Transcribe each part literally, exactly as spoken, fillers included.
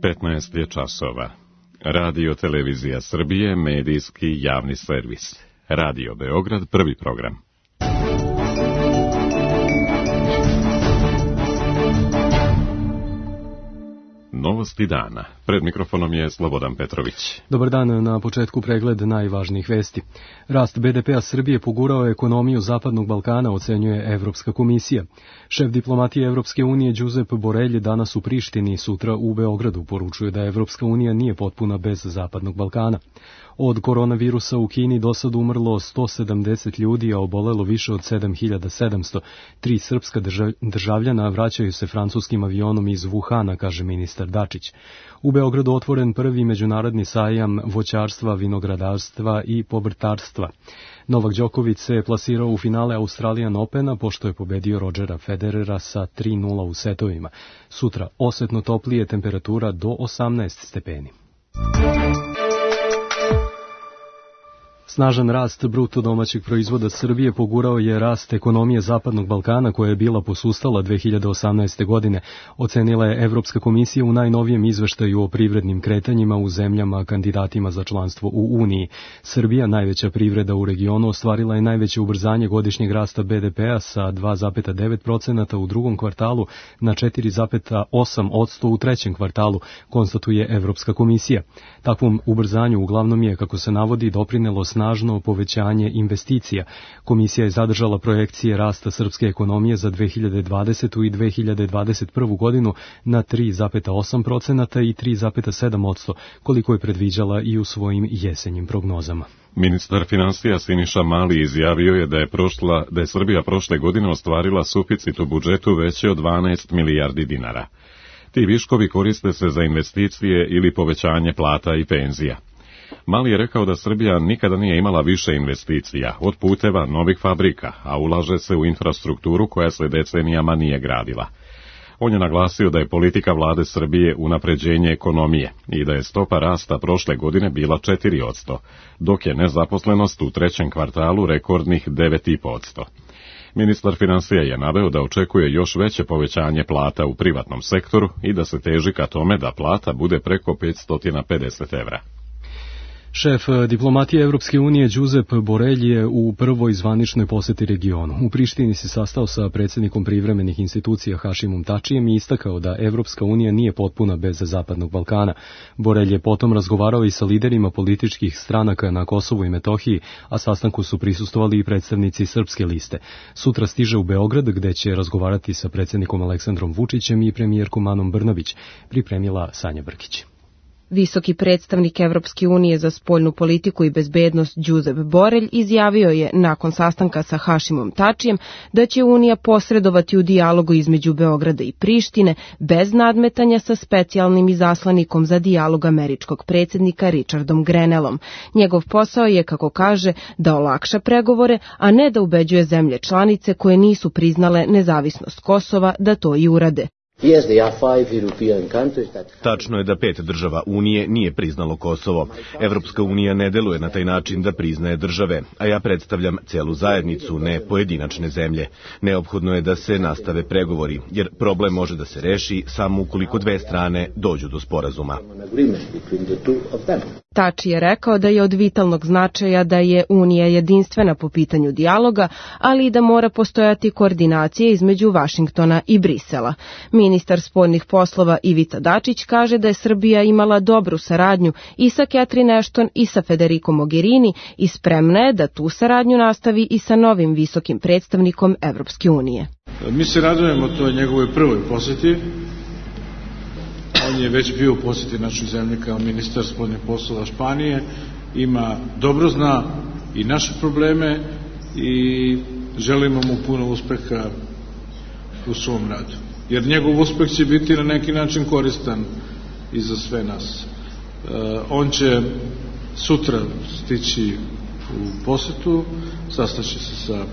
petnaest je časova. Radio Televizija Srbije, medijski javni servis. Radio Beograd, prvi program. Novosti dana. Pred mikrofonom je Slobodan Petrović. Dobar dan, na početku pregled najvažnijih vesti. Rast be de pea Srbije pogurao ekonomiju Zapadnog Balkana, ocenjuje Evropska komisija. Šef diplomatije Evropske unije Josep Borrell danas u Prištini, sutra u Beogradu, poručuje da Evropska unija nije potpuna bez Zapadnog Balkana. Od koronavirusa u Kini do sad umrlo sto sedamdeset ljudi, a obolelo više od sedam hiljada sedamsto. Tri srpska državljana vraćaju se francuskim avionom iz Wuhana, kaže ministar Dačić. U Beogradu otvoren prvi međunarodni sajam voćarstva, vinogradarstva i povrtarstva. Novak Đoković se plasirao u finale Australian Opena pošto je pobedio Rodgera Federera sa tri nula u setovima. Sutra osetno toplije, temperatura do osamnaest stepeni. Snažan rast bruto domaćeg proizvoda Srbije pogurao je rast ekonomije Zapadnog Balkana koja je bila posustala dve hiljade osamnaeste. godine, ocenila je Evropska komisija u najnovijem izveštaju o privrednim kretanjima u zemljama kandidatima za članstvo u Uniji. Srbija, najveća privreda u regionu, ostvarila je najveće ubrzanje godišnjeg rasta be de pea sa dva zarez devet posto u drugom kvartalu na četiri zarez osam posto u trećem kvartalu, konstatuje Evropska komisija. Takvom ubrzanju uglavnom je, kako se navodi, doprinelo snažno povećanje investicija. Komisija je zadržala projekcije rasta srpske ekonomije za dve hiljade dvadesetu. i dve hiljade dvadeset prvu. godinu na tri zarez osam posto i tri zarez sedam posto, koliko je predviđala i u svojim jesenjim prognozama. Ministar finansija Siniša Mali izjavio je da je, prošla, da je Srbija prošle godine ostvarila suficit u budžetu veći od dvanaest milijardi dinara. Ti viškovi koriste se za investicije ili povećanje plata i penzija. Mali je rekao da Srbija nikada nije imala više investicija, od puteva, novih fabrika, a ulaže se u infrastrukturu koja se decenijama nije gradila. On je naglasio da je politika vlade Srbije unapređenje ekonomije i da je stopa rasta prošle godine bila četiri posto, dok je nezaposlenost u trećem kvartalu rekordnih devet zarez pet posto. Ministar finansija je naveo da očekuje još veće povećanje plata u privatnom sektoru i da se teži ka tome da plata bude preko petsto pedeset evra. Šef diplomatije Evropske unije Josep Borrell je u prvoj zvaničnoj poseti regionu. U Prištini se sastao sa predsjednikom privremenih institucija Hašimom Tačijem i istakao da Evropska unija nije potpuna bez Zapadnog Balkana. Borrell je potom razgovarao i sa liderima političkih stranaka na Kosovu i Metohiji, a sastanku su prisustvovali i predstavnici Srpske liste. Sutra stiže u Beograd, gde će razgovarati sa predsjednikom Aleksandrom Vučićem i premijerkom Anom Brnabić, pripremila Sanja Brkić. Visoki predstavnik Evropske unije za spoljnu politiku i bezbednost Josep Borrell izjavio je nakon sastanka sa Hašimom Tačijem da će Unija posredovati u dijalogu između Beograda i Prištine bez nadmetanja sa specijalnim izaslanikom za dijalog američkog predsjednika Richardom Grenellom. Njegov posao je, kako kaže, da olakša pregovore, a ne da ubeđuje zemlje članice koje nisu priznale nezavisnost Kosova da to i urade. Tačno je da pet država Unije nije priznalo Kosovo. Evropska unija ne deluje na taj način da priznaje države, a ja predstavljam celu zajednicu, ne pojedinačne zemlje. Neophodno je da se nastave pregovori, jer problem može da se reši samo ukoliko dve strane dođu do sporazuma. Tači je rekao da je od vitalnog značaja da je Unija jedinstvena po pitanju dijaloga, ali i da mora postojati koordinacija između Vašingtona i Brisela. Ministar spoljnih poslova Ivica Dačić kaže da je Srbija imala dobru saradnju i sa Catherine Ashton i sa Federico Mogherini i spremna je da tu saradnju nastavi i sa novim visokim predstavnikom Evropske unije. Mi se radujemo toj njegovoj prvoj posjeti. On je već bio u posjeti našoj zemlji kao ministar spoljnih poslova Španije, ima, dobro zna i naše probleme i želimo mu puno uspeha u svom radu. Jer njegov uspeh će biti na neki način koristan i za sve nas. E, on će sutra stići u posetu, sastaće se sa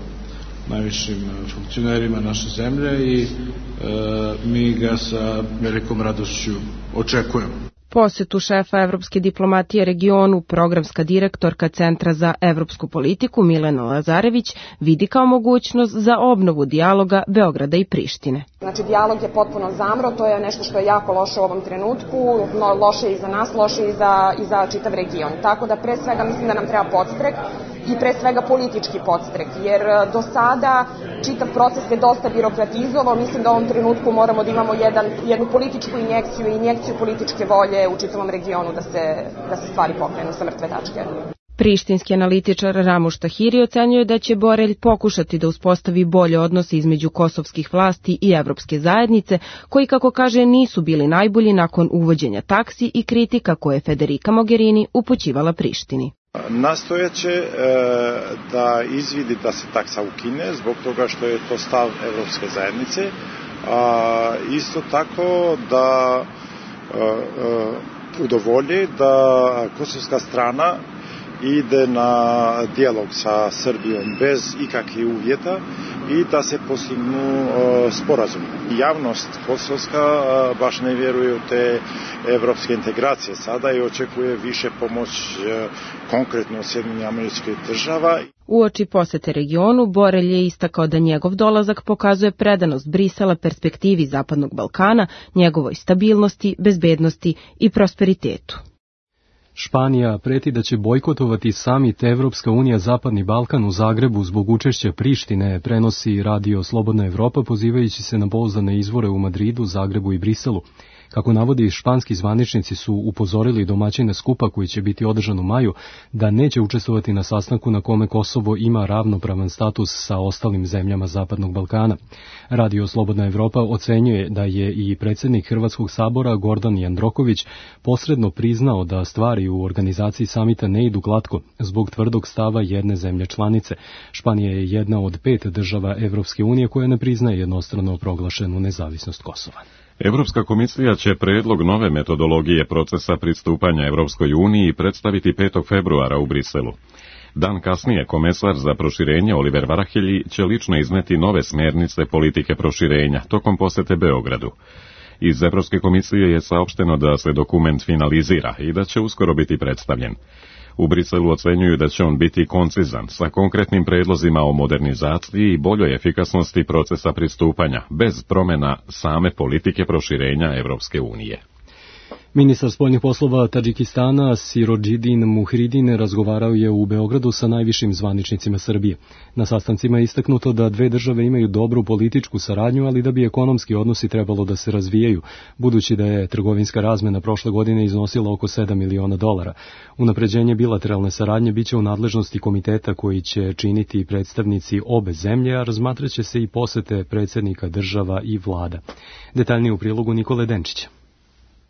najvišim funkcionerima naše zemlje i e, mi ga sa velikom radošću očekujemo. posetu šefa evropske diplomatije regionu programska direktorka Centra za evropsku politiku Milena Lazarević vidi kao mogućnost za obnovu dijaloga Beograda i Prištine. Znači, dijalog je potpuno zamro, to je nešto što je jako loše u ovom trenutku, no, loše i za nas, loše i za, i za čitav region. Tako da pre svega mislim da nam treba podstrek i pre svega politički podstrek, jer do sada čitav proces je dosta birokratizovao, mislim da u ovom trenutku moramo da imamo jedan, jednu političku injekciju i injekciju političke volje u čitavom regionu da se, da se stvari pokrenu sa mrtve tačke. Prištinski analitičar Ramuš Tahiri ocenjuje da će Borelj pokušati da uspostavi bolje odnose između kosovskih vlasti i evropske zajednice, koji, kako kaže, nisu bili najbolji nakon uvođenja taksi i kritika koje je Federica Mogherini upućivala Prištini. Nastojeće e, da izvidi da se taksa ukine zbog toga što je to stav evropske zajednice, a isto tako da e, e, udovolji da kosovska strana ide na dijalog sa Srbijom bez ikakvih uvjeta i da se postignu uh, sporazum. Javnost kosovska uh, baš ne vjeruje u te evropske integracije sada i očekuje više pomoć uh, konkretno Sjedinjenih Američkih Država. Uoči posete regionu, Borelj je istakao da njegov dolazak pokazuje predanost Brisela perspektivi Zapadnog Balkana, njegovoj stabilnosti, bezbednosti i prosperitetu. Španija preti da će bojkotovati samit Evropska unija Zapadni Balkan u Zagrebu zbog učešća Prištine, prenosi Radio Slobodna Evropa pozivajući se na pouzdane izvore u Madridu, Zagrebu i Briselu. Kako navodi, španski zvaničnici su upozorili domaćine skupa koji će biti održan u maju da neće učestvovati na sastanku na kome Kosovo ima ravnopravan status sa ostalim zemljama Zapadnog Balkana. Radio Slobodna Evropa ocenjuje da je i predsjednik Hrvatskog sabora Gordan Jandroković posredno priznao da stvari u organizaciji samita ne idu glatko zbog tvrdog stava jedne zemlje članice. Španija je jedna od pet država Evropske unije koja ne priznaje jednostrano proglašenu nezavisnost Kosova. Evropska komisija će predlog nove metodologije procesa pristupanja Evropskoj uniji predstaviti petog februara u Briselu. Dan kasnije komesar za proširenje Oliver Varhelyi će lično izneti nove smjernice politike proširenja tokom posete Beogradu. Iz Evropske komisije je saopšteno da se dokument finalizira i da će uskoro biti predstavljen. U Briselu ocenjuju da će on biti koncizan, sa konkretnim predlozima o modernizaciji i boljoj efikasnosti procesa pristupanja, bez promjena same politike proširenja Evropske unije. Ministar spoljnih poslova Tadžikistana Sirodžidin Muhridin razgovarao je u Beogradu sa najvišim zvaničnicima Srbije. Na sastancima je istaknuto da dve države imaju dobru političku saradnju, ali da bi ekonomski odnosi trebalo da se razvijaju, budući da je trgovinska razmena prošle godine iznosila oko sedam miliona dolara. Unapređenje bilateralne saradnje biće u nadležnosti komiteta koji će činiti predstavnici obe zemlje, a razmatraće se i posete predsjednika država i vlada. Detaljnije u prilogu Nikole Denčića.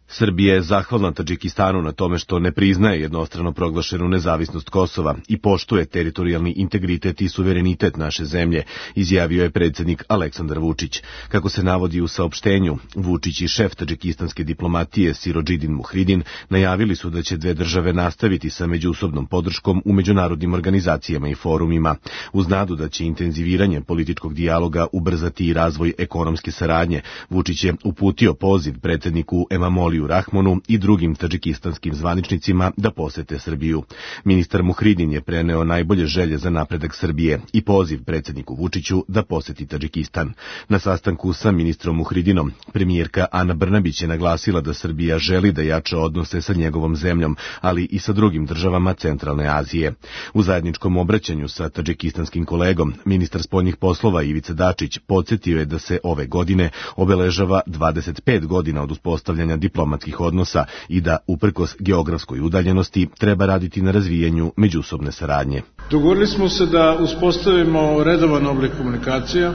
Srbija je zahvalna Tadžikistanu na tome što ne priznaje jednostrano proglašenu nezavisnost Kosova i poštuje teritorijalni integritet i suverenitet naše zemlje, izjavio je predsjednik Aleksandar Vučić. Kako se navodi u saopštenju, Vučić i šef tadžikistanske diplomatije Sirodžidin Muhridin najavili su da će dve države nastaviti sa međusobnom podrškom u međunarodnim organizacijama i forumima, uz nadu da će intenziviranje političkog dijaloga ubrzati i razvoj ekonomske saradnje. Vučić je uputio poziv predsjedniku Emomali Rahmonu i drugim tadžikistanskim zvaničnicima da posete Srbiju. Ministar Muhridin je preneo najbolje želje za napredak Srbije i poziv predsjedniku Vučiću da poseti Tadžikistan. Na sastanku sa ministrom Muhridinom, premijerka Ana Brnabić je naglasila da Srbija želi da jača odnose sa njegovom zemljom, ali i sa drugim državama Centralne Azije. U zajedničkom obraćanju sa tadžikistanskim kolegom, ministar spoljnih poslova Ivica Dačić podsjetio je da se ove godine obeležava dvadeset pet godina od uspostavljanja diplomatskih odnosa i da, uprkos geografskoj udaljenosti, treba raditi na razvijanju međusobne saradnje. Dogovorili smo se da uspostavimo redovan oblik komunikacija,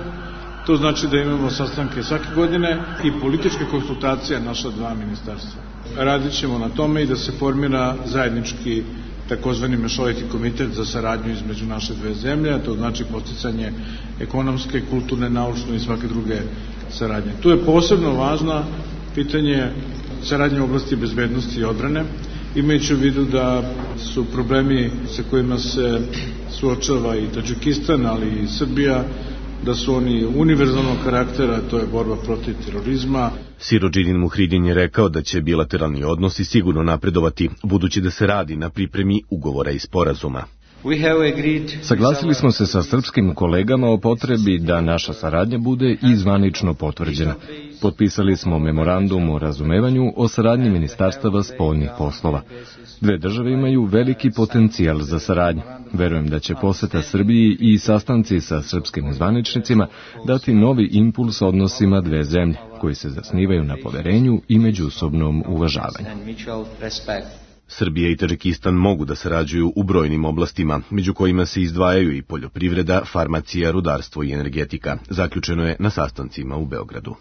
to znači da imamo sastanke svake godine i političke konsultacije naša dva ministarstva. Radit ćemo na tome i da se formira zajednički takozvani mešoviti komitet za saradnju između naše dve zemlje, a to znači podsticanje ekonomske, kulturne, naučne i svake druge saradnje. Tu je posebno važna pitanje saradnje u oblasti bezbednosti i odbrane, imajući u vidu da su problemi sa kojima se suočava i Tadžikistan, ali i Srbija da su oni univerzalnog karaktera, to je borba protiv terorizma. Sirodžidin Muhridin je rekao da će bilateralni odnosi sigurno napredovati, budući da se radi na pripremi ugovora i sporazuma. Saglasili smo se sa srpskim kolegama o potrebi da naša saradnja bude i zvanično potvrđena. Potpisali smo memorandum o razumevanju o saradnji ministarstava spoljnih poslova. Dve države imaju veliki potencijal za saradnju. Verujem da će poseta Srbiji i sastanci sa srpskim zvaničnicima dati novi impuls odnosima dve zemlje, koji se zasnivaju na poverenju i međusobnom uvažavanju. Srbija i Tadžikistan mogu da sarađuju u brojnim oblastima, među kojima se izdvajaju i poljoprivreda, farmacija, rudarstvo i energetika. Zaključeno je na sastancima u Beogradu.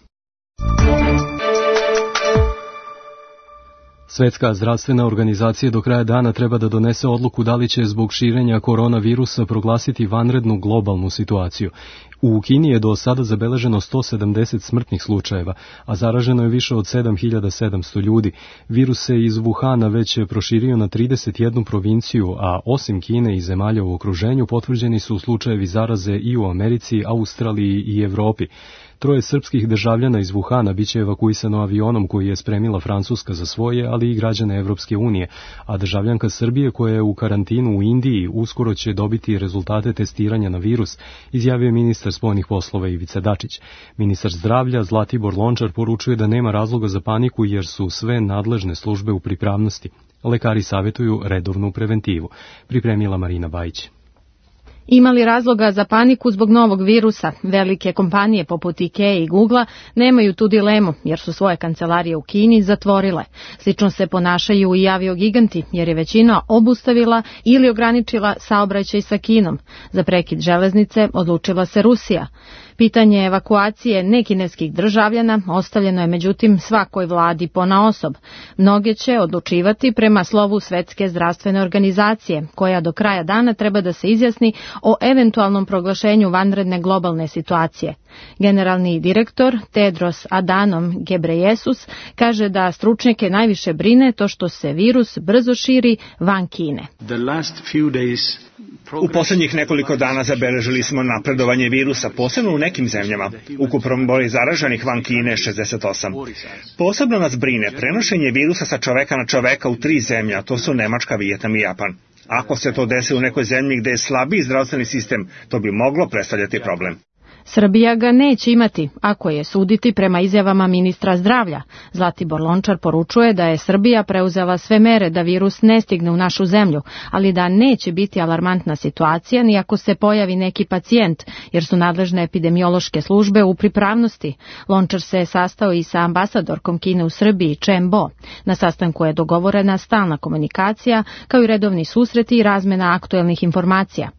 Svetska zdravstvena organizacija do kraja dana treba da donese odluku da li će zbog širenja koronavirusa proglasiti vanrednu globalnu situaciju. U Kini je do sada zabeleženo sto sedamdeset smrtnih slučajeva, a zaraženo je više od sedam hiljada sedamsto ljudi. Virus se iz Wuhana već proširio na trideset jednu provinciju, a osim Kine i zemalja u okruženju potvrđeni su slučajevi zaraze i u Americi, Australiji i Evropi. Troje srpskih državljana iz Wuhana biće evakuisano avionom koji je spremila Francuska za svoje, ali i građane Evropske unije, a državljanka Srbije koja je u karantinu u Indiji uskoro će dobiti rezultate testiranja na virus, izjavio je ministar spoljnih poslova Ivica Dačić. Ministar zdravlja Zlatibor Lončar poručuje da nema razloga za paniku jer su sve nadležne službe u pripravnosti. Lekari savjetuju redovnu preventivu. Pripremila Marina Bajić. Ima li razloga za paniku zbog novog virusa? Velike kompanije poput IKEA i Googlea nemaju tu dilemu, jer su svoje kancelarije u Kini zatvorile. Slično se ponašaju i aviogiganti, jer je većina obustavila ili ograničila saobraćaj sa Kinom. Za prekid železnice odlučila se Rusija. Pitanje evakuacije nekineskih državljana ostavljeno je međutim svakoj vladi ponaosob. Mnoge će odlučivati prema slovu Svetske zdravstvene organizacije, koja do kraja dana treba da se izjasni o eventualnom proglašenju vanredne globalne situacije. Generalni direktor Tedros Adhanom Ghebreyesus kaže da stručnjake najviše brine to što se virus brzo širi van Kine. U poslednjih nekoliko dana zabeležili smo napredovanje virusa, posebno u nekim zemljama. Ukupan broj zaraženih van Kine je šezdeset osam. Posebno nas brine prenošenje virusa sa čoveka na čoveka u tri zemlje, a to su Nemačka, Vijetnam i Japan. Ako se to desi u nekoj zemlji gde je slabiji zdravstveni sistem, to bi moglo predstavljati problem. Srbija ga neće imati, ako je suditi prema izjavama ministra zdravlja. Zlatibor Lončar poručuje da je Srbija preuzela sve mere da virus ne stigne u našu zemlju, ali da neće biti alarmantna situacija ni ako se pojavi neki pacijent, jer su nadležne epidemiološke službe u pripravnosti. Lončar se sastao i sa ambasadorkom Kine u Srbiji, Chen Bo. Na sastanku je dogovorena stalna komunikacija, kao i redovni susreti i razmena aktuelnih informacija.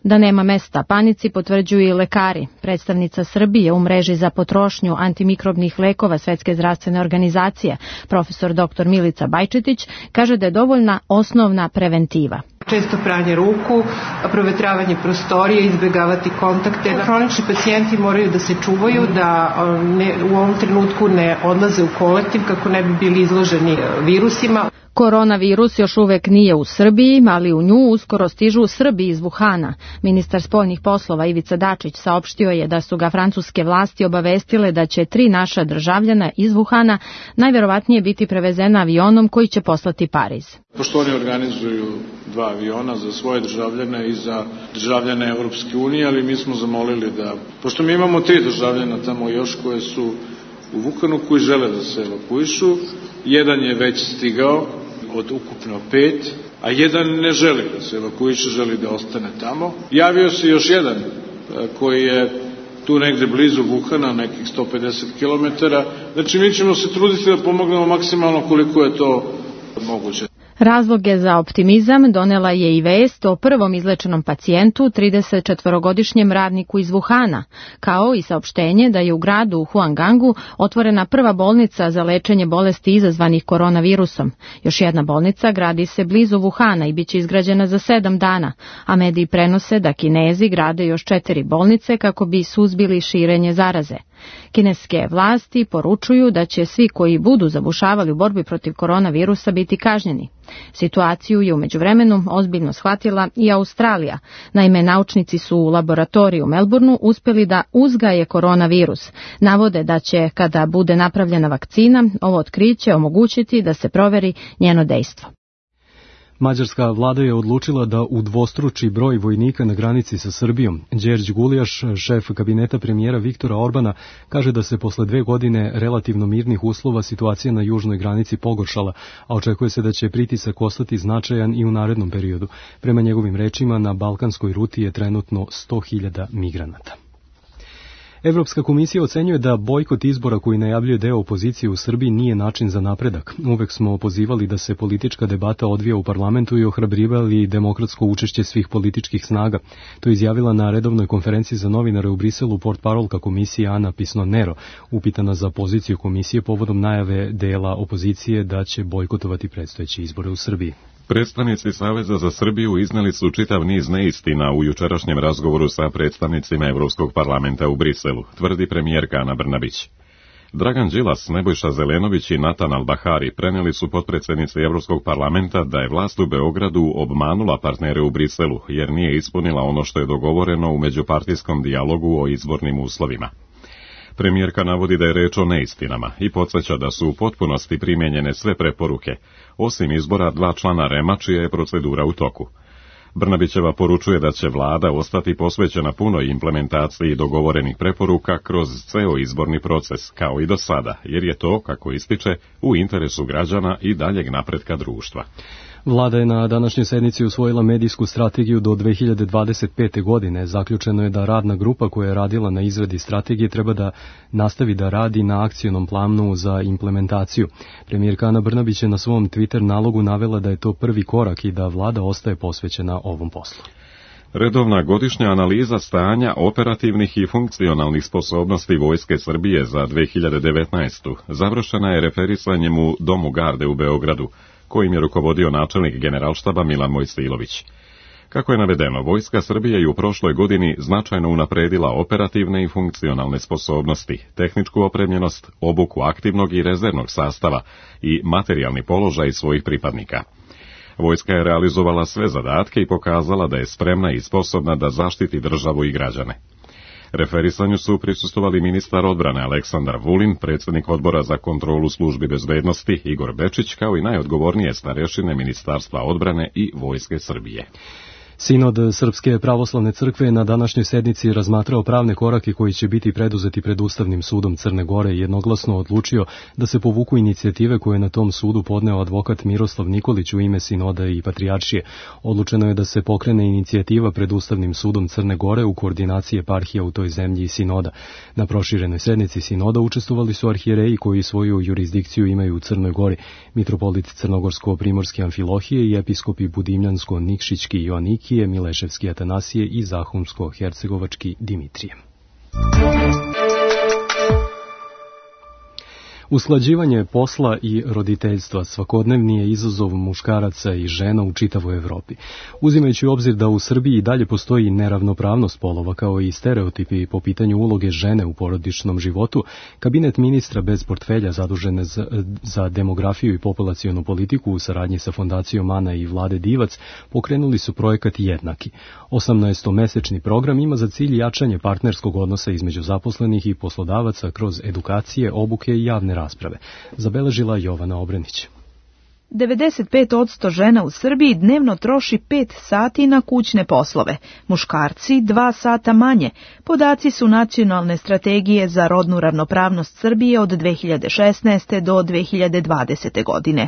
Da nema mesta panici potvrđuju i lekari. Predstavnica Srbije u mreži za potrošnju antimikrobnih lekova Svetske zdravstvene organizacije, profesor doktor Milica Bajčetić, kaže da je dovoljna osnovna preventiva. Često pranje ruku, provetravanje prostorije, izbjegavati kontakte. Hronični pacijenti moraju da se čuvaju, da ne, u ovom trenutku ne odlaze u kolektiv kako ne bi bili izloženi virusima. Koronavirus još uvek nije u Srbiji, ali u nju uskoro stižu Srbi iz Wuhana. Ministar spoljnih poslova Ivica Dačić saopštio je da su ga francuske vlasti obavestile da će tri naša državljana iz Wuhana najverovatnije biti prevezena avionom koji će poslati Pariz. Pošto oni organizuju dva aviona za svoje državljane i za državljane Evropske unije, ali mi smo zamolili da, pošto mi imamo tri državljana tamo još koje su u Wuhanu koji žele da se evakuišu, jedan je već stigao od ukupno pet, a jedan ne želi da se evakuiše, želi da ostane tamo. Javio se još jedan koji je tu negde blizu Wuhana, nekih sto pedeset kilometara. Znači mi ćemo se truditi da pomognemo maksimalno koliko je to moguće. Razloge za optimizam donela je i vest o prvom izlečenom pacijentu, tridesetčetvorogodišnjem radniku iz Wuhana, kao i saopštenje da je u gradu Huangangu otvorena prva bolnica za lečenje bolesti izazvanih koronavirusom. Još jedna bolnica gradi se blizu Wuhana i biće izgrađena za sedam dana, a mediji prenose da Kinezi grade još četiri bolnice kako bi suzbili širenje zaraze. Kineske vlasti poručuju da će svi koji budu zabušavali u borbi protiv koronavirusa biti kažnjeni. Situaciju je u međuvremenu ozbiljno shvatila i Australija. Naime, naučnici su u laboratoriju u Melbourneu uspjeli da uzgaje koronavirus. Navode da će, kada bude napravljena vakcina, ovo otkriće omogućiti da se proveri njeno dejstvo. Mađarska vlada je odlučila da udvostruči broj vojnika na granici sa Srbijom. Đerđ Gulijaš, šef kabineta premijera Viktora Orbana, kaže da se posle dve godine relativno mirnih uslova situacija na južnoj granici pogoršala, a očekuje se da će pritisak ostati značajan i u narednom periodu. Prema njegovim rečima, na balkanskoj ruti je trenutno sto hiljada migranata. Evropska komisija ocenjuje da bojkot izbora koji najavljuje deo opozicije u Srbiji nije način za napredak. Uvek smo pozivali da se politička debata odvija u parlamentu i ohrabrivali demokratsko učešće svih političkih snaga. To je izjavila na redovnoj konferenciji za novinare u Briselu portparolka komisije Ana Pisno-Nero, upitana za poziciju komisije povodom najave dela opozicije da će bojkotovati predstojeće izbore u Srbiji. Predstavnici Saveza za Srbiju izneli su čitav niz neistina u jučerašnjem razgovoru sa predstavnicima Evropskog parlamenta u Briselu, tvrdi premijerka Ana Brnabić. Dragan Đilas, Nebojša Zelenović i Natan Albahari preneli su potpredsjednici Evropskog parlamenta da je vlast u Beogradu obmanula partnere u Briselu, jer nije ispunila ono što je dogovoreno u međupartijskom dijalogu o izbornim uslovima. Premijerka navodi da je reč o neistinama i podsjeća da su u potpunosti primijenjene sve preporuke, osim izbora dva člana REM-a čija je procedura u toku. Brnabićeva poručuje da će vlada ostati posvećena punoj implementaciji dogovorenih preporuka kroz ceo izborni proces, kao i do sada, jer je to, kako ističe, u interesu građana i daljeg napretka društva. Vlada je na današnjoj sednici usvojila medijsku strategiju do dve hiljade dvadeset pete. godine. Zaključeno je da radna grupa koja je radila na izradi strategije treba da nastavi da radi na akcionom planu za implementaciju. Premijerka Ana Brnabić je na svom Twitter nalogu navela da je to prvi korak i da vlada ostaje posvećena ovom poslu. Redovna godišnja analiza stanja operativnih i funkcionalnih sposobnosti Vojske Srbije za dve hiljade devetnaestu. završena je referisanjem u Domu garde u Beogradu, kojim je rukovodio načelnik generalštaba Milan Mojsilović. Kako je navedeno, Vojska Srbije je u prošloj godini značajno unapredila operativne i funkcionalne sposobnosti, tehničku opremljenost, obuku aktivnog i rezervnog sastava i materijalni položaj svojih pripadnika. Vojska je realizovala sve zadatke i pokazala da je spremna i sposobna da zaštiti državu i građane. Referisanju su prisustvovali ministar odbrane Aleksandar Vulin, predsjednik odbora za kontrolu službi bezbednosti Igor Bečić, kao i najodgovornije starešine Ministarstva odbrane i Vojske Srbije. Sinod Srpske pravoslavne crkve na današnjoj sednici razmatrao pravne korake koji će biti preduzeti pred Ustavnim sudom Crne Gore i jednoglasno odlučio da se povuku inicijative koje je na tom sudu podneo advokat Miroslav Nikolić u ime Sinoda i Patrijaršije. Odlučeno je da se pokrene inicijativa pred Ustavnim sudom Crne Gore u koordinaciji eparhija u toj zemlji i Sinoda. Na proširenoj sednici Sinoda učestvovali su arhijereji koji svoju jurisdikciju imaju u Crnoj Gori, mitropolit Crnogorsko-Primorske Amfilohije i episkopi Budimljansko-Nikšićki Joaniki, Mileševski Atanasije i Zahumsko-Hercegovački Dimitrije. Usklađivanje posla i roditeljstva svakodnevni je izazov muškaraca i žena u čitavoj Evropi. Uzimajući u obzir da u Srbiji i dalje postoji neravnopravnost polova kao i stereotipi po pitanju uloge žene u porodičnom životu, kabinet ministra bez portfelja zadužene za, za demografiju i populacionu politiku u saradnji sa fondacijom Ana i Vlade Divac pokrenuli su projekat Jednaki. osamnaestomesečni program ima za cilj jačanje partnerskog odnosa između zaposlenih i poslodavaca kroz edukacije, obuke i javne rasprave, zabeležila Jovana Obrenić. devedeset pet posto žena u Srbiji dnevno troši pet sati na kućne poslove, muškarci dva sata manje. Podaci su Nacionalne strategije za rodnu ravnopravnost Srbije od dve hiljade šesnaeste. do dve hiljade dvadesete. godine.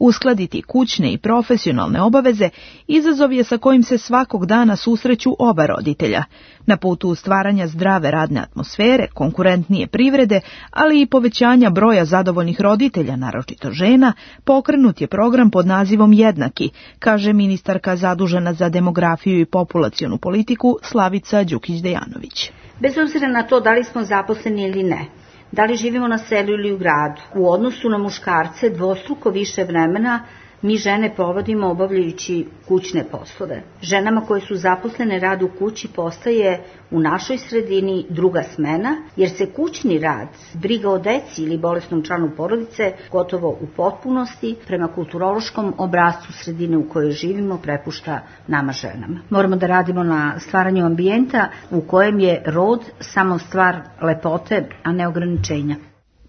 Uskladiti kućne i profesionalne obaveze izazov je sa kojim se svakog dana susreću oba roditelja. Na putu stvaranja zdrave radne atmosfere, konkurentnije privrede, ali i povećanja broja zadovoljnih roditelja, naročito žena, pokrenut je program pod nazivom Jednaki, kaže ministarka zadužena za demografiju i populacionu politiku Slavica Đukić-Dejanović. Bez obzira na to da li smo zaposleni ili ne, da li živimo na selu ili u gradu, u odnosu na muškarce dvostruko više vremena mi žene provodimo obavljajući kućne poslove. Ženama koje su zaposlene rad u kući postaje u našoj sredini druga smena, jer se kućni rad, briga o deci ili bolesnom članu porodice gotovo u potpunosti prema kulturološkom obrascu sredine u kojoj živimo prepušta nama ženama. Moramo da radimo na stvaranju ambijenta u kojem je rod samo stvar lepote, a ne ograničenja.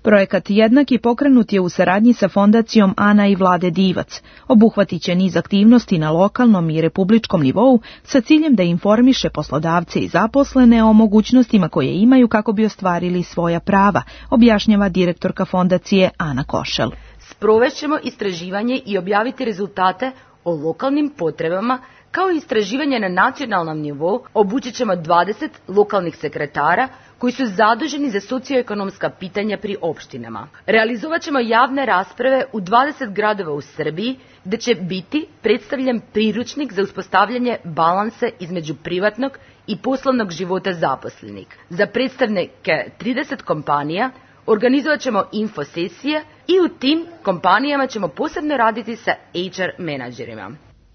Projekat Jednaki pokrenut je u saradnji sa Fondacijom Ana i Vlade Divac. Obuhvatit će niz aktivnosti na lokalnom i republičkom nivou sa ciljem da informiše poslodavce i zaposlene o mogućnostima koje imaju kako bi ostvarili svoja prava, objašnjava direktorka Fondacije Ana Košel. Sprovešćemo istraživanje i objaviti rezultate o lokalnim potrebama, kao i istraživanje na nacionalnom nivou. Obučit ćemo dvadeset lokalnih sekretara koji su zaduženi za socioekonomska pitanja pri opštinama. Realizovat ćemo javne rasprave u dvadeset gradova u Srbiji, gde će biti predstavljen priručnik za uspostavljanje balanse između privatnog i poslovnog života zaposlenih. Za predstavnike trideset kompanija organizovat ćemo infosesije i u tim kompanijama ćemo posebno raditi sa H R menadžerima.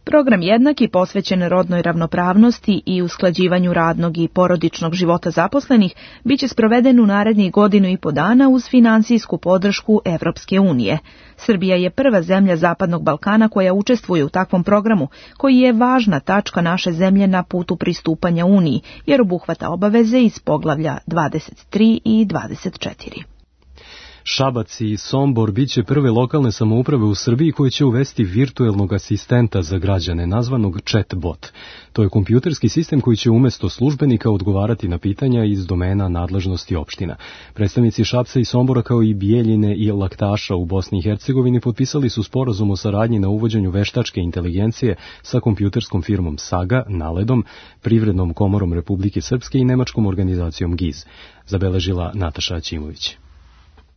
Program Jednaki posvećen rodnoj ravnopravnosti i usklađivanju radnog i porodičnog života zaposlenih biće sproveden u narednih godinu i po dana uz finansijsku podršku Evropske unije. Srbija je prva zemlja Zapadnog Balkana koja učestvuje u takvom programu, koji je važna tačka naše zemlje na putu pristupanja Uniji, jer obuhvata obaveze iz poglavlja dvadeset tri i dvadeset četiri. Šabac i Sombor biće prve lokalne samouprave u Srbiji koje će uvesti virtuelnog asistenta za građane, nazvanog chatbot. To je kompjuterski sistem koji će umjesto službenika odgovarati na pitanja iz domena nadležnosti opština. Predstavnici Šapca i Sombora, kao i Bijeljine i Laktaša u Bosni i Hercegovini, potpisali su sporazum o saradnji na uvođenju veštačke inteligencije sa kompjuterskom firmom Saga, Naledom, Privrednom komorom Republike Srpske i nemačkom organizacijom G I Z, zabeležila Nataša Ćimović.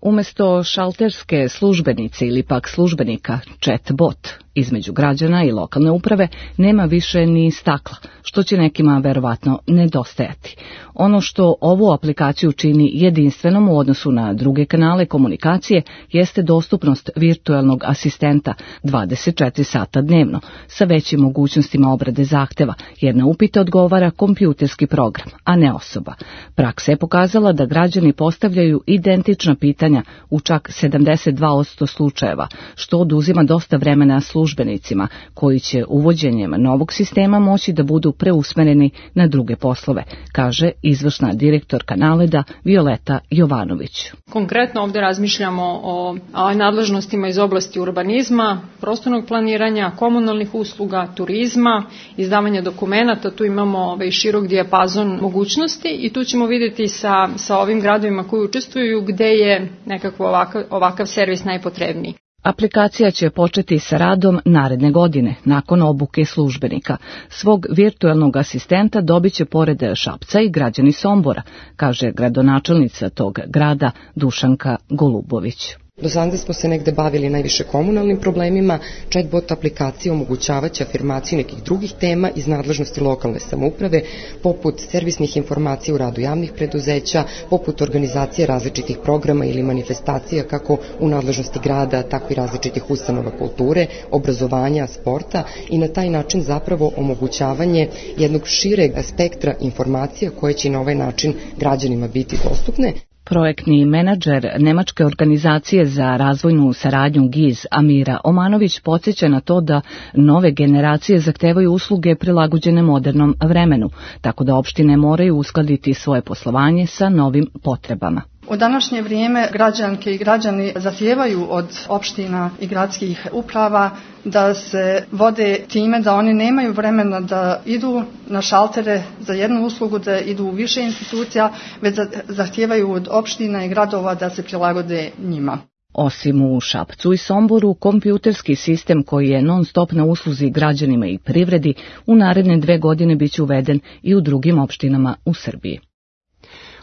Umesto šalterske službenice ili pak službenika, chatbot između građana i lokalne uprave nema više ni stakla, što će nekima verovatno nedostajati. Ono što ovu aplikaciju čini jedinstvenom u odnosu na druge kanale komunikacije jeste dostupnost virtuelnog asistenta dvadeset četiri sata dnevno, sa većim mogućnostima obrade zahteva, jer na upite odgovara kompjuterski program, a ne osoba. Praksa je pokazala da građani postavljaju identična pitanja u čak sedamdeset dva posto slučajeva, što oduzima dosta vremena službenicima, koji će uvođenjem novog sistema moći da budu preusmereni na druge poslove, kaže izvršna direktorka Naleda Violeta Jovanović. Konkretno ovdje razmišljamo o, o nadležnostima iz oblasti urbanizma, prostornog planiranja, komunalnih usluga, turizma, izdavanja dokumenata. Tu imamo ovaj širok dijapazon mogućnosti i tu ćemo vidjeti sa, sa ovim gradovima koji učestvuju gde je nekako ovakav, ovakav servis najpotrebniji. Aplikacija će početi sa radom naredne godine, nakon obuke službenika. Svog virtuelnog asistenta dobit će pored Šapca i građani Sombora, kaže gradonačelnica tog grada Dušanka Golubović. Do sada smo se negde bavili najviše komunalnim problemima, chatbot aplikacija omogućavaće afirmaciju nekih drugih tema iz nadležnosti lokalne samouprave, poput servisnih informacija u radu javnih preduzeća, poput organizacije različitih programa ili manifestacija kako u nadležnosti grada, tako i različitih ustanova kulture, obrazovanja, sporta i na taj način zapravo omogućavanje jednog šireg spektra informacija koje će na ovaj način građanima biti dostupne. Projektni menadžer Nemačke organizacije za razvojnu saradnju G I Z Amira Omanović podsjeća na to da nove generacije zahtevaju usluge prilagođene modernom vremenu, tako da opštine moraju uskladiti svoje poslovanje sa novim potrebama. U današnje vrijeme građanke i građani zahtijevaju od opština i gradskih uprava da se vode time da oni nemaju vremena da idu na šaltere za jednu uslugu, da idu u više institucija, već zahtijevaju od opština i gradova da se prilagode njima. Osim u Šapcu i Somboru, kompjuterski sistem koji je non-stop na usluzi građanima i privredi u naredne dve godine biće uveden i u drugim opštinama u Srbiji.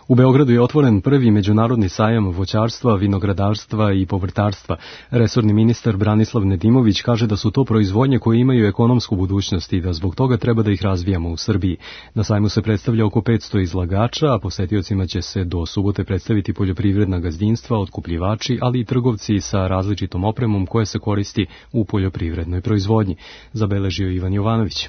U Beogradu je otvoren prvi međunarodni sajam voćarstva, vinogradarstva i povrtarstva. Resorni ministar Branislav Nedimović kaže da su to proizvodnje koje imaju ekonomsku budućnost i da zbog toga treba da ih razvijamo u Srbiji. Na sajmu se predstavlja oko petsto izlagača, a posetiocima će se do subote predstaviti poljoprivredna gazdinstva, otkupljivači, ali i trgovci sa različitom opremom koja se koristi u poljoprivrednoj proizvodnji, zabeležio Ivan Jovanović.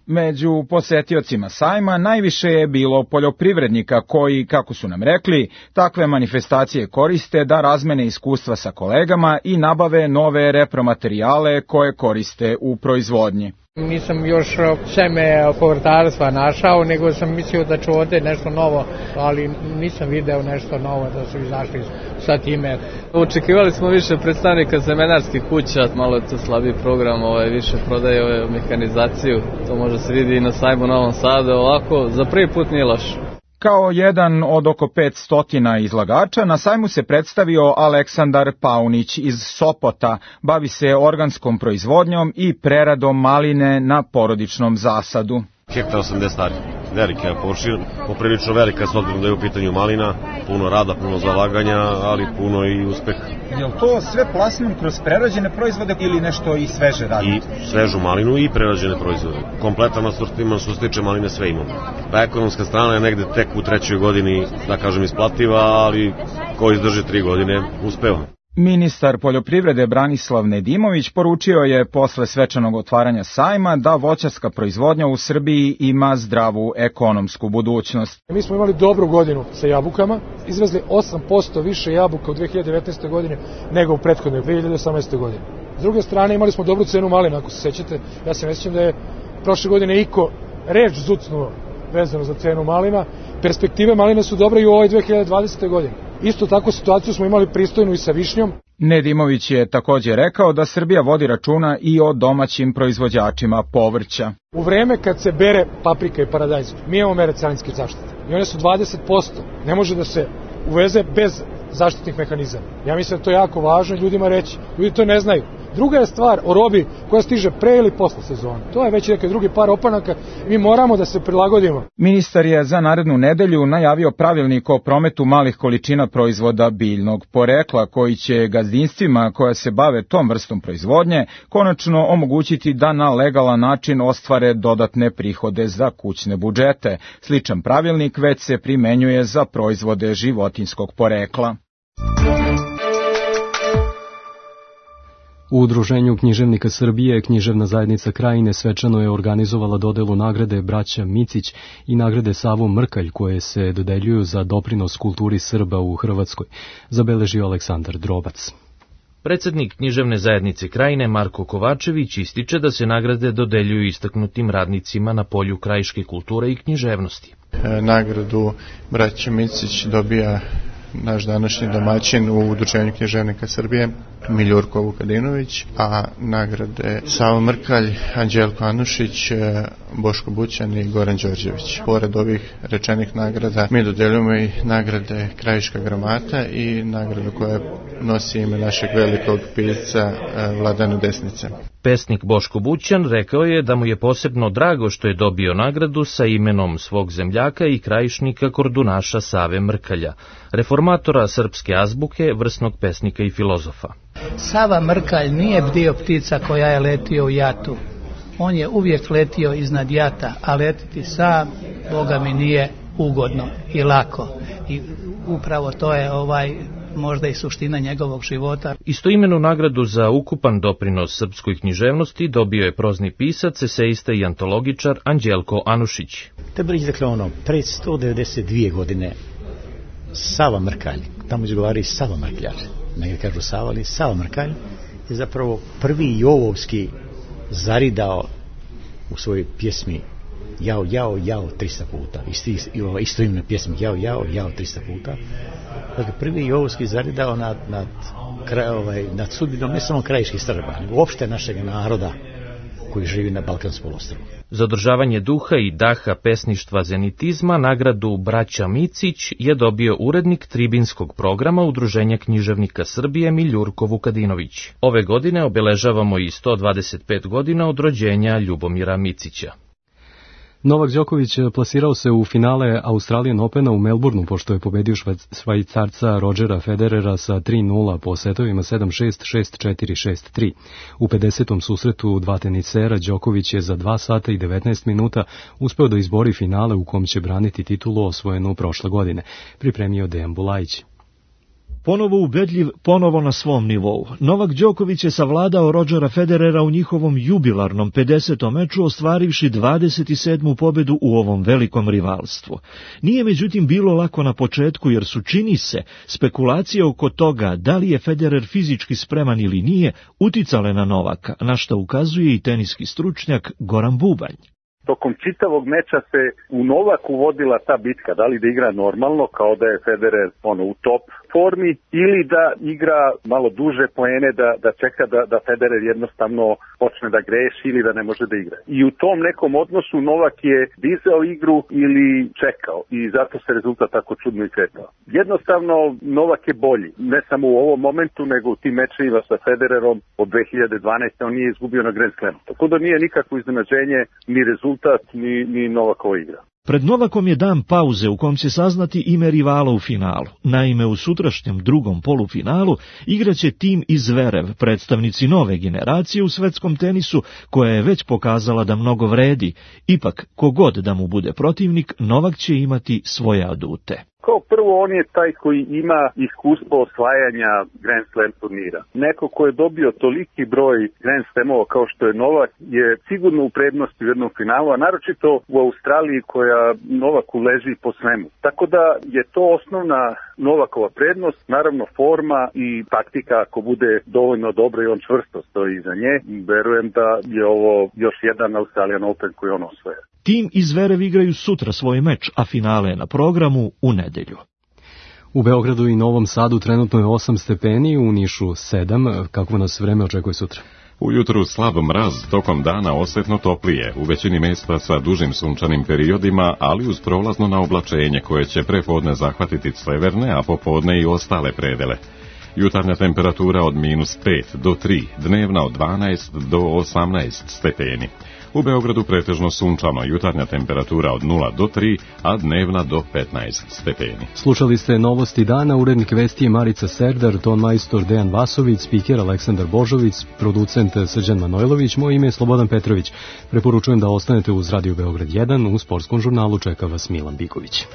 Među posetiocima sajma najviše je bilo poljoprivrednika koji, kako su nam rekli, takve manifestacije koriste da razmene iskustva sa kolegama i nabave nove repromaterijale koje koriste u proizvodnji. Nisam još seme povrtarstva našao, nego sam mislio da ću ovde nešto novo, ali nisam video nešto novo da su izašli sa time. Očekivali smo više predstavnika semenarskih kuća, malo je to slabiji program, ovaj, više prodaje ove mehanizaciju, to može se vidi i na sajmu Novom Sadu, ovako za prvi put nije loš. Kao jedan od oko petsto izlagača, na sajmu se predstavio Aleksandar Paunić iz Sopota, bavi se organskom proizvodnjom i preradom maline na porodičnom zasadu. Hektar osamdeset ari, velika površina, poprilično velika s obzirom da je u pitanju malina, puno rada, puno zalaganja, ali puno i uspeha. Je li to sve plasman kroz prerađene proizvode ili nešto i sveže radite? I svežu malinu i prerađene proizvode. Kompletan asortiman što se tiče maline sve imamo. Pa ekonomska strana je negde tek u trećoj godini, da kažem, isplativa, ali ko izdrži tri godine uspeva. Ministar poljoprivrede Branislav Nedimović poručio je posle svečanog otvaranja sajma da voćarska proizvodnja u Srbiji ima zdravu ekonomsku budućnost. Mi smo imali dobru godinu sa jabukama, izvezli osam posto više jabuka u dve hiljade devetnaeste. godine nego u prethodnoj dve hiljade osamnaeste. godine. S druge strane imali smo dobru cenu malina, ako se sećate, ja se ne sjećam da je prošle godine iko reč zucnuo vezano za cenu malina. Perspektive malina su dobre i u ovoj dve hiljade dvadesete. godine. Isto tako situaciju smo imali pristojnu i sa višnjom. Nedimović je također rekao da Srbija vodi računa i o domaćim proizvođačima povrća. U vreme kad se bere paprika i paradajz, mi imamo mere carinske zaštite i one su dvadeset posto. Ne može da se uveze bez zaštitnih mehanizama. Ja mislim da to je jako važno ljudima reći. Ljudi to ne znaju. Druga je stvar o robi koja stiže pre ili posle sezone. To je već neki drugi par opanaka. Mi moramo da se prilagodimo. Ministar je za narednu nedelju najavio pravilnik o prometu malih količina proizvoda biljnog porekla koji će gazdinstvima koja se bave tom vrstom proizvodnje konačno omogućiti da na legalan način ostvare dodatne prihode za kućne budžete. Sličan pravilnik već se primenjuje za proizvode životinjskog porekla. U Udruženju književnika Srbije Književna zajednica Krajine svečano je organizovala dodelu nagrade Braća Micić i nagrade Savo Mrkalj koje se dodeljuju za doprinos kulturi Srba u Hrvatskoj, zabeležio Aleksandar Drobac. Predsednik Književne zajednice Krajine Marko Kovačević ističe da se nagrade dodeljuju istaknutim radnicima na polju krajiške kulture i književnosti. E, nagradu Braća Micić dobija naš današnji domaćin u Udruženju književnika Srbije, Miljurko Vukadinović, a nagrade Savo Mrkalj, Anđelko Anušić, Boško Bućan i Goran Đorđević. Pored ovih rečenih nagrada, mi dodeljujemo i nagrade Krajiška gramata i nagradu koja nosi ime našeg velikog pisca Vladana Desnice. Pesnik Boško Bućan rekao je da mu je posebno drago što je dobio nagradu sa imenom svog zemljaka i krajišnika kordunaša Save Mrkalja, reformatora srpske azbuke, vrsnog pesnika i filozofa. Sava Mrkalj nije bdio ptica koja je letio u jatu. On je uvijek letio iznad jata, a letiti sam, Boga mi, nije ugodno i lako. I upravo to je ovaj možda i suština njegovog života. Istoimenu nagradu za ukupan doprinos srpskoj književnosti dobio je prozni pisac, eseista i antologičar Anđelko Anušić. Treba reći, dakle, ono, pred sto devedeset dvije godine Sava Mrkalj, tamo izgovaraju Sava Mrkljar, negdje kažu Sava, ali Sava Mrkalj je zapravo prvi jovovski zaridao u svojoj pjesmi Jao, jao, jao trista puta. Isti, isto ime pjesmi Jao, jao, jao trista puta. Dakle, prvi jovovski zaridao nad, nad, kraj, ovaj, nad sudbinom ne samo krajiških Srba, nego uopšte našeg naroda koji živi na Balkanskom poluostrvu. Za održavanje duha i daha pesništva zenitizma nagradu Braća Micić je dobio urednik tribinskog programa Udruženja književnika Srbije Miljurko Vukadinović. Ove godine obeležavamo i sto dvadeset pet godina od rođenja Ljubomira Micića. Novak Đoković plasirao se u finale Australian Opena u Melbourneu pošto je pobedio Švajcarca Rodgera Federera sa tri nula po setovima sedam šest, šest četiri, šest tri. U pedesetom susretu dva tenisera Đoković je za dva sata i devetnaest minuta uspeo da izbori finale u kom će braniti titulu osvojenu prošle godine, pripremio Dejan Bulajić. Ponovo ubedljiv, ponovo na svom nivou. Novak Đoković je savladao Rodgera Federera u njihovom jubilarnom pedesetom meču, ostvarivši dvadeset sedmu pobedu u ovom velikom rivalstvu. Nije međutim bilo lako na početku jer su, čini se, spekulacije oko toga da li je Federer fizički spreman ili nije uticale na Novaka, na što ukazuje i teniski stručnjak Goran Bubanj. Tokom čitavog meča se u Novaku vodila ta bitka, da li da igra normalno, kao da je Federer ono, u top formi, ili da igra malo duže poene, da, da čeka da, da Federer jednostavno počne da greši ili da ne može da igra. I u tom nekom odnosu Novak je dizao igru ili čekao i zato se rezultat tako čudno i kretao. Jednostavno Novak je bolji, ne samo u ovom momentu, nego u tim mečevima sa Federerom od dve hiljade dvanaeste. On nije izgubio na Grand Slamu. Tako da nije nikakvo iznenađenje ni rezultat, ni, ni Novakova igra. Pred Novakom je dan pauze u kom će saznati ime rivala u finalu. Naime, u sutrašnjem drugom polufinalu igraće tim iz Zverev, predstavnici nove generacije u svetskom tenisu, koja je već pokazala da mnogo vredi. Ipak, kogod da mu bude protivnik, Novak će imati svoje adute. Kao prvo, on je taj koji ima iskustvo osvajanja Grand Slam turnira. Neko ko je dobio toliki broj Grand Slamova kao što je Novak je sigurno u prednosti u jednom finalu, a naročito u Australiji koja Novaku leži po svemu. Tako da je to osnovna Novakova prednost, naravno forma i taktika ako bude dovoljno dobro i on čvrsto stoji iza nje. Verujem da je ovo još jedan Australian Open koji on osvaja. Tim i Zverev igraju sutra svoj meč, a finale je na programu u nedelju. U Beogradu i Novom Sadu trenutno je osam stepeni, u Nišu sedam. Kako nas vreme očekuje sutra? Ujutru slab mraz, tokom dana osjetno toplije, u većini mjesta sa dužim sunčanim periodima, ali uz prolazno na oblačenje koje će prepodne zahvatiti severne, a popodne i ostale predele. Jutarnja temperatura od minus pet do tri, dnevna od dvanaest do osamnaest stepeni. U Beogradu pretežno sunčano, jutarnja temperatura od nula do tri, a dnevna do petnaest stepeni. Slušali ste Novosti dana, urednik vesti je Marica Serdar, ton majstor Dejan Vasović, spiker Aleksandar Božović, producent Srđan Manojlović, moje ime je Slobodan Petrović. Preporučujem da ostanete uz Radio Beograd jedan, u sportskom žurnalu čeka vas Milan Biković.